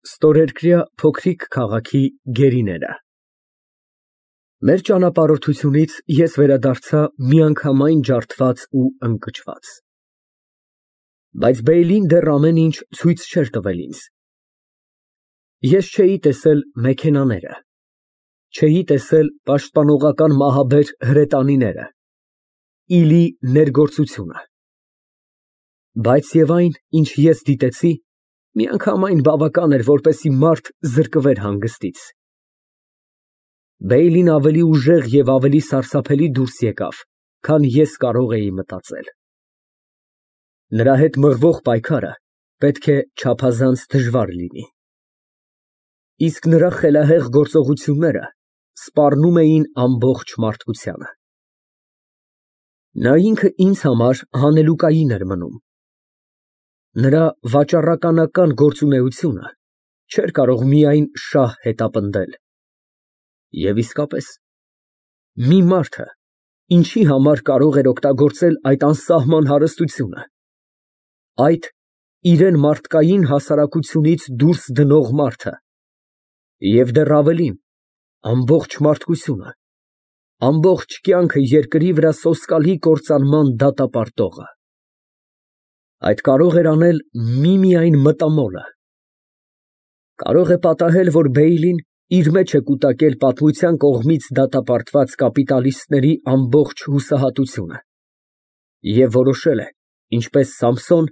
Ստորերկրյա փոքրիկ քաղաքի գերիները։ Մեր ճանապարհորդությունից ես վերադարձա միանգամայն ջարդված ու ընկճված։ Բայց Բեյլին դեռ ամեն ինչ ցույց չէր տվել ինձ։ Ես չէի տեսել մեքենաները, չէի տեսել պաշտպանողական մահաբեր հրետանիները, իլի ներգործությունը։ Բայց և այն, ինչ ես դիտեցի, միանգամայն բավական էր, որպեսզի մարդ զրկվեր հանգստից։ Բեյլին ավելի ուժեղ և ավելի սարսափելի դուրս եկավ, քան ես կարող էի մտածել։ Նրա հետ մղվող պայքարը պետք է չափազանց դժվար լինի։ Իսկ նրա խելահեղ գործողությունները սպառնում էին ամբողջ մարդկությանը։ Նա ինքը ինձ համար հանելուկային էր մնում։ Նրա վաճառականական գործունեությունը չէր կարող միայն շահ հետապնդել։ Եվ իսկապես, մի մարդը ինչի համար կարող էր օգտագործել այդ անսահման հարստությունը, այդ իրեն մարդկային հասարակությունից դուրս դնող մարդը, և դեռ ավելին, ամբողջ մարդկությունը, ամբողջ կյանքը երկրի վրա սոսկալի կործանման դատապարտողը, այդ կարող էր անել միմիայն մտամոլը։ Կարող է պատահել, որ Բեյլին իր մեջ է կուտակել պատմության կողմից դատապարտված կապիտալիստների ամբողջ հուսահատությունը և որոշել է, ինչպես Սամսոն,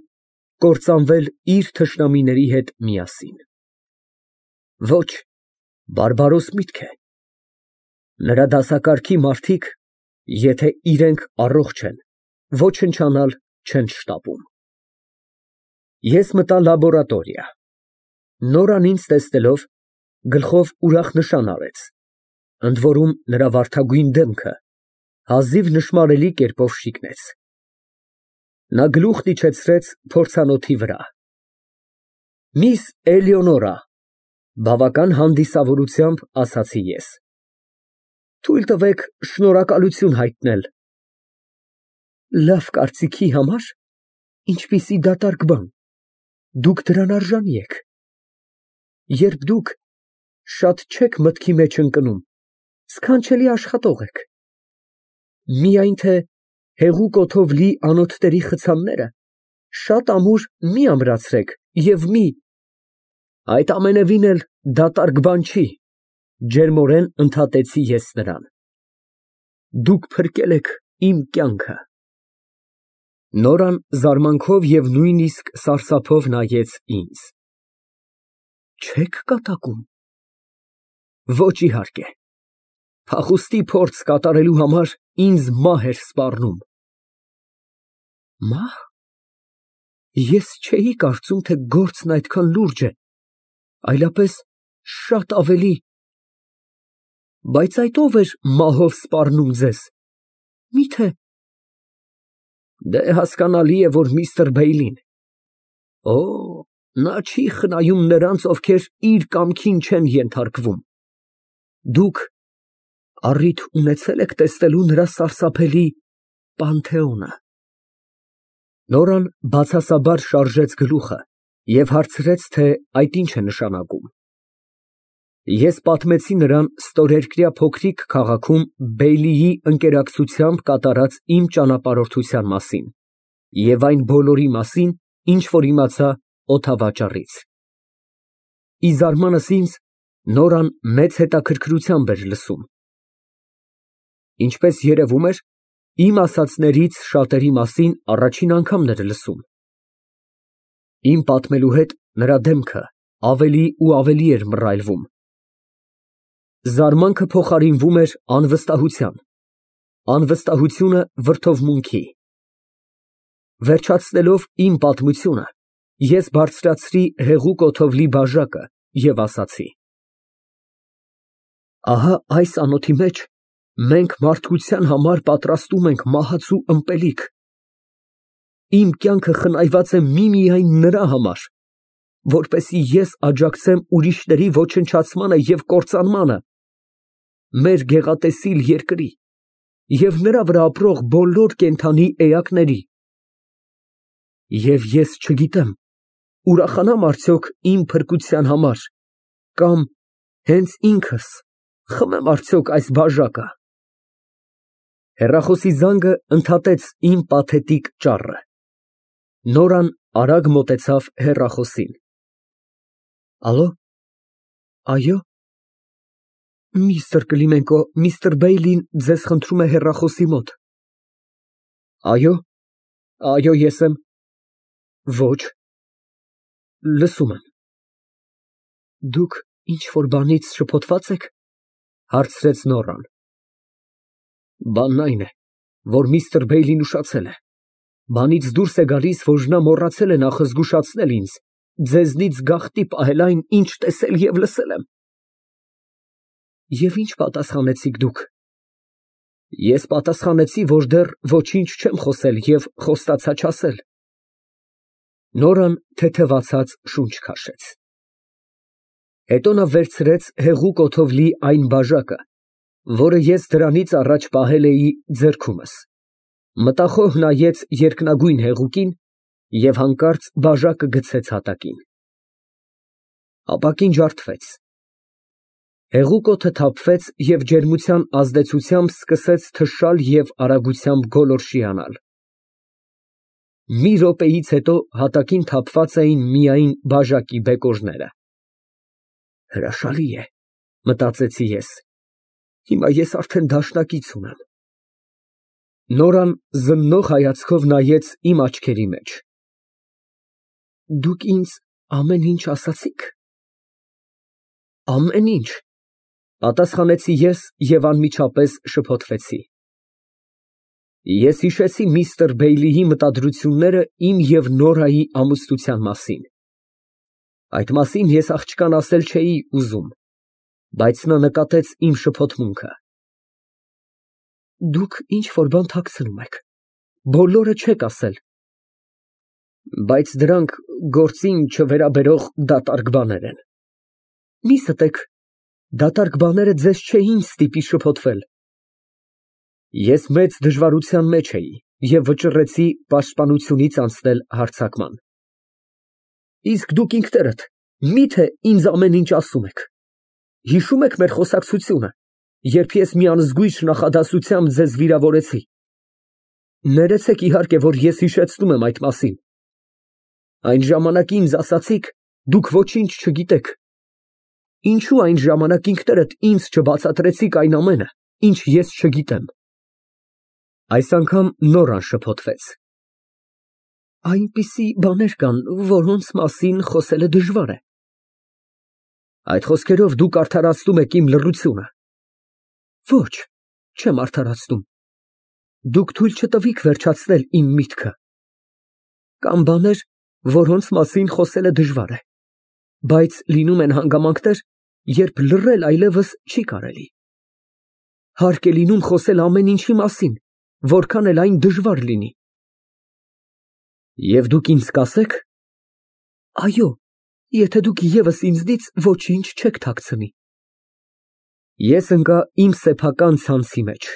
կործանվել իր թշնամիների հետ միասին։ Ոչ, բարբարոս միտք է։ Նրա դասակարգի մարդիկ, եթե իրենք առողջ են, ոչնչանալ չեն շտապում։ Ես մտա լաբորատորիա։ Նորան ինձ տեսնելով, գլխով ուրախ նշան արեց, ընդ որում նրա վարդագույն դեմքը հազիվ նշմարելի կերպով շիկնեց։ Նա գլուխն իջեցրեց փորձանոթի վրա։ Միս Էլեոնորա, բավական հանդիսավորությամբ ասացի ես։ Թույլ տվեք շնորհակալություն հայտնել։ Լավ կարծիքի համար, ինչպիսի դատարկ բան, դուք դրան արժանի եք։ Երբ դուք շատ չեք մտքի մեջ ընկնում, սքանչելի աշխատող եք։ Միայն թե հեղուկ օդով լի անոթների խցանները շատ ամուր մի ամրացրեք և մի… Այդ ամենևին էլ դատարկ բան չի, ջերմորեն ընդհատեցի ես նրան։ Դուք փրկել եք իմ կյանքը։ Նորան զարմանքով և նույնիսկ սարսափով նայեց ինձ։ Չե՞ք կատակում։ Ոչ, իհարկե։ Փախուստի փորձ կատարելու համար ինձ մահ էր սպառնում։ Մահ։ Ես չէի կարծում, թե գործն այդքան լուրջ է, այլապես շատ ավելի… Բայց այդ ո՞վ էր մահով սպառնում ձեզ, մի՞թե… Դե, հասկանալի է, որ միստր Բեյլին… Օ, նա չի խնայում նրանց, ովքեր իր կամքին չեն ենթարկվում։ Դուք առիթ ունեցե՞լ եք տեսնելու նրա սարսափելի Պանթեոնը։ Նորան բացասաբար շարժեց գլուխը և հարցրեց, թե այդ ինչ է նշանակում։ Ես պատմեցի նրան ստորերկրյա փոքրիկ քաղաքում Բեյլիի ընկերակցությամբ կատարած իմ ճանապարհորդության մասին և այն բոլորի մասին, ինչ որ իմացա օդավաճառից։ Ի զարմանս ինձ, Նորան մեծ հետաքրքրությամբ էր լսում։ Ինչպես երևում էր, իմ ասածներից շատերի մասին առաջին անգամն էր լսում։ Իմ պատմելու հետ նրա դեմքը ավելի ու ավելի էր մռայլվում։ Զարմանքը փոխարինվում էր անվստահության, անվստահությունը վրդովմունքի։ Վերջացնելով իմ պատմությունը, ես բարձրացրի հեղուկ օդով լի բաժակը և ասացի. Ահա այս անոթի մեջ մենք մարդկության համար պատրաստում ենք մահացու ըմպելիք։ Իմ կյանքը խնայված է միմիայն նրա համար, որպեսզի ես աջակցեմ ուրիշների ոչնչացմանը և կործանմանը, մեր գեղատեսիլ երկրի և նրա վրա ապրող բոլոր կենդանի էակների։ Եվ ես չգիտեմ ուրախանամ արդյոք իմ փրկության համար, կամ հենց ինքս խմեմ արդյոք այս բաժակը։ Հեռախոսի զանգը ընդհատեց իմ պաթետիկ ճառը։ Նորան արագ մոտեցավ հեռախոսին։ Ալո։ Այո։ Միստր Կլիմենկո, միստր Բեյլին ձեզ խնդրում է հեռախոսի մոտ։ Այո։ Այո, ես եմ։ Ոչ։ Լսում եմ։ Դուք ինչ-որ բանից շփոթված եք, հարցրեց Նորան։ Բանն այն է, որ միստր Բեյլին ուշացել է։ Բանից դուրս է գալիս, որ նա մոռացել է նախազգուշացնել ինձ, ձեզնից գաղտնի պահել այն, ինչ տեսել և լսել եմ։ Եվ ինչ պատասխանեցիք դուք։ Ես պատասխանեցի, որ դեռ ոչինչ չեմ խոսել և խոստացա չասել։ Նորան թեթևացած շունչ քաշեց։ Հետո նա վերցրեց հեղուկ օդով լի այն բաժակը, որը ես դրանից առաջ պահել էի ձեռքումս, մտախոհ նայեց երկնագույն հեղուկին և հանկարծ բաժակը գցեց հատակին։ Ապակին ջարդվեց։ Հեղուկ օդը թափվեց և ջերմության ազդեցությամբ սկսեց թշալ և արագությամբ գոլորշիանալ։ Մի րոպեից հետո հատակին թափված էին միայն բաժակի բեկորները։ Հրաշալի է, մտածեցի ես, հիմա ես արդեն դաշնակից ունեմ։ Նորան զննող հայացքով նայեց իմ աչքերի մեջ։ Դուք ինձ ամեն ինչ ասացի՞ք։ Ամեն ինչ, պատասխանեցի ես և անմիջապես շփոթվեցի։ Ես հիշեցի միստր Բեյլիի մտադրությունները իմ և Նորայի ամուսնության մասին։ Այդ մասին ես աղջկան ասել չէի ուզում, բայց նա նկատեց իմ շփոթմունքը։ Դուք ինչ֊որ բան թաքցնում եք, բոլորը չեք ասել։ Բայց դրանք գործին չվերաբերող դատարկ բաներ են։ Մի ստեք, դատարկ բաները ձեզ չէին ստիպի շփոթվել։ Ես մեծ դժվարության մեջ էի և վճռեցի պաշտպանությունից անցնել հարձակման։ Իսկ դուք ինքներդ մի՞թե ինձ ամեն ինչ ասում եք։ Հիշո՞ւմ եք մեր խոսակցությունը, երբ ես մի անզգույշ նախադասությամբ ձեզ վիրավորեցի։ Ներեցեք իհարկե, որ ես հիշեցնում եմ այդ մասին։ Այն ժամանակ ինձ ասացիք, դուք ոչինչ չգիտեք։ Ինչու այն ժամանակ ինքներդ ինձ չբացատրեցիք այն ամենը, ինչ ես չգիտեմ։ Այս անգամ Նորան շփոթվեց։ Այնպիսի բաներ կան, որոնց մասին խոսելը դժվար է։ Այդ խոսքերով դուք արդարացնում եք իմ լռությունը։ Ոչ, չեմ արդարացնում։ Դուք թույլ չտվիք վերջացնել իմ միտքը։ Կան բաներ, որոնց մասին խոսելը դժվար է, բայց լինում են հանգամանքներ, երբ լռել այլևս չի կարելի։ Հարկ է լինում խոսել ամեն ինչի մասին, որքան էլ այն դժվար լինի։ Եվ դուք ինձ կասեք. այո, եթե դուք ևս ինձնից ոչինչ չեք թաքցնի։ Ես ընկա իմ սեփական ցանցի մեջ։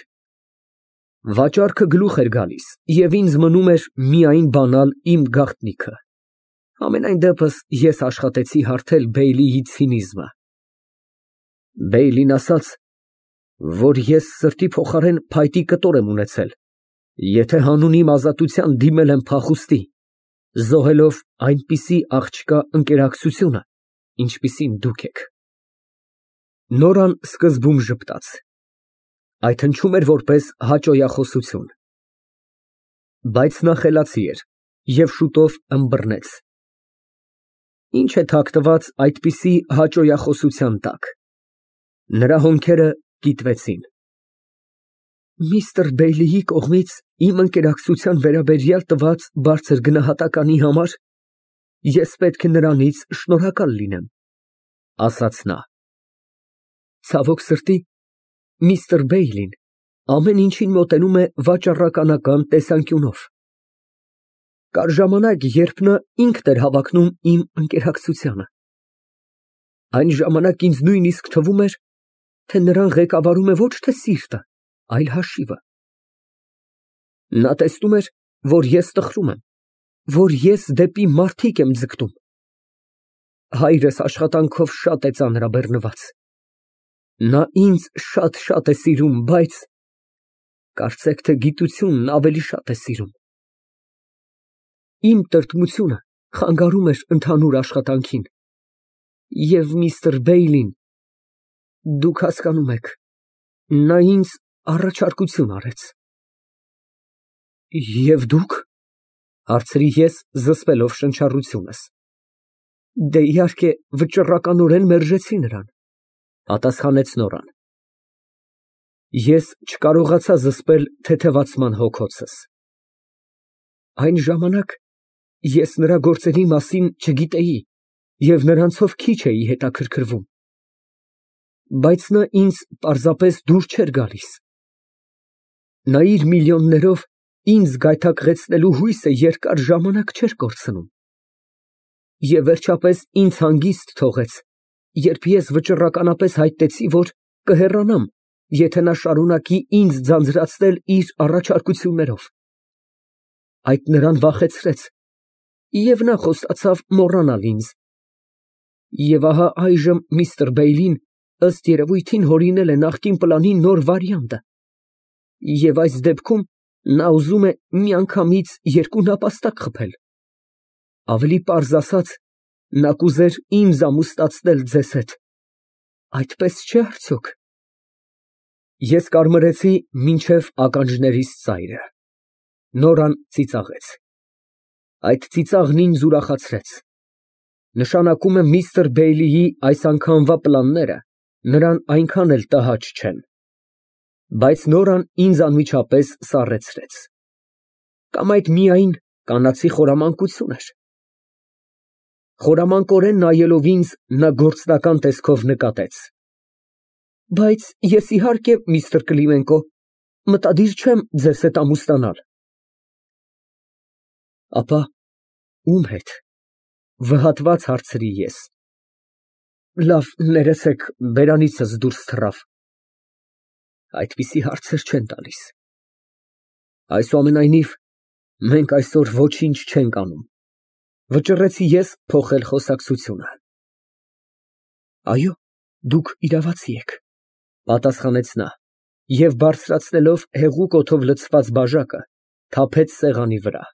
Վաճառքը գլուխ էր գալիս, և ինձ մնում էր միայն բանալ իմ գաղտնիքը։ Համենայն դեպս ես աշխատեցի հարթել Բեյլիի ցինիզմը։ Բեյլին ասաց, որ ես սրտի փոխարեն փայտի կտոր եմ ունեցել, եթե հանուն իմ ազատության դիմել եմ փախուստի, զոհելով այնպիսի աղջկա ընկերակցությունը, ինչպիսին դուք եք։ Նորան սկզբում ժպտաց։ Այդ հնչում էր որպես հաճոյախոսություն։ Բայց նա խելացի էր և շուտով ըմբռնեց։ Ինչ է թաքնված այդպիսի հաճոյախոսության տակ։ Նրա հոնքերը կիտվեցին։ Միստր Բեյլիի կողմից իմ ընկերակցության վերաբերյալ տված բարձր գնահատականի համար ես պետք է նրանից շնորհակալ լինեմ, ասաց նա։ Ցավոք սրտի, միստր Բեյլին ամեն ինչին մոտենում է վաճառականական տեսանկյունով։ Կար ժամանակ, երբ նա ինքն էր հավակնում իմ ընկերակցությանը։ Այն ժամանակ ինձ նույնիսկ թվում էր, թե նրան ղեկավարում է ոչ թե սիրտը, այլ հաշիվը։ Նա տեսնում էր, որ ես տխրում եմ, որ ես դեպի մարդիկ եմ ձգտում, Հայրս աշխատանքով շատ է ծանրաբեռնված։ Նա ինձ շատ է սիրում, բայց կարծեք թե գիտությունն ավելի շատ է սիրում։ Իմ տրտմությունը խանգարում էր ընդհանուր աշխատանքին։ Եվ միստր Բեյլին, դուք հասկանում եք, նա ինձ առաջարկություն արեց։ Եվ դուք, հարցրի ես, զսպելով շնչառությունս։ Դե իհարկե, վճռականորեն մերժեցի նրան, պատասխանեց Նորան։ Ես չկարողացա զսպել թեթևացման հոգոցս։ Այն ժամանակ ես նրա գործերի մասին չգիտեի և նրանցով քիչ էի հետաքրքրվում, բայց նա ինձ պարզապես դուր չէր գալիս։ Նա իր միլիոններով ինձ գայթակղեցնելու հույսը երկար ժամանակ չէր կորցնում։ Եվ վերջապես ինձ հանգիստ թողեց, երբ ես վճռականապես հայտնեցի, որ կհեռանամ, եթե նա շարունակի ինձ ձանձրացնել իր առաջարկություններով։ Այդ նրան վախեցրեց, և նա խոստացավ մոռանալ ինձ։ Եվ ահա այժմ միստր Բեյլին, ըստ երևույթին, հորինել է նախկին պլանի նոր վարիանտը, և այս դեպքում նա ուզում է միանգամից երկու նապաստակ խփել։ Ավելի պարզ ասած, նա կուզեր ինձ ամուսնացնել ձեզ հետ, այդպես չէ՞ արդյոք։ Ես կարմրեցի մինչև ականջներիս ծայրը։ Նորան ծիծաղեց։ Այդ ծիծաղն ինձ ուրախացրեց։ Նշանակում է միստր Բեյլիի այս անգամվա պլանները նրան այնքան էլ տհաճ չեն։ Բայց Նորան ինձ անմիջապես սառեցրեց։ Կամ այդ միայն կանացի խորամանկություն էր։ Խորամանկորեն նայելով ինձ, նա գործնական տեսքով նկատեց. Բայց ես, իհարկե, միստր Կլիմենկո, մտադիր չեմ ձեզ հետ ամուսնանալ։ Ապա ում հետ, վհատված հարցրի ես։ Լավ, ներեցեք, բերանիցս դուրս թռավ։ Այդպիսի հարցեր չեն տալիս։ Այսուամենայնիվ, մենք այսօր ոչինչ չենք անում, վճռեցի ես փոխել խոսակցությունը։ Այո, դուք իրավացի եք, պատասխանեց նա, և բարձրացնելով հեղուկ օդով լցված բաժակը, թափեց սեղանի վրա։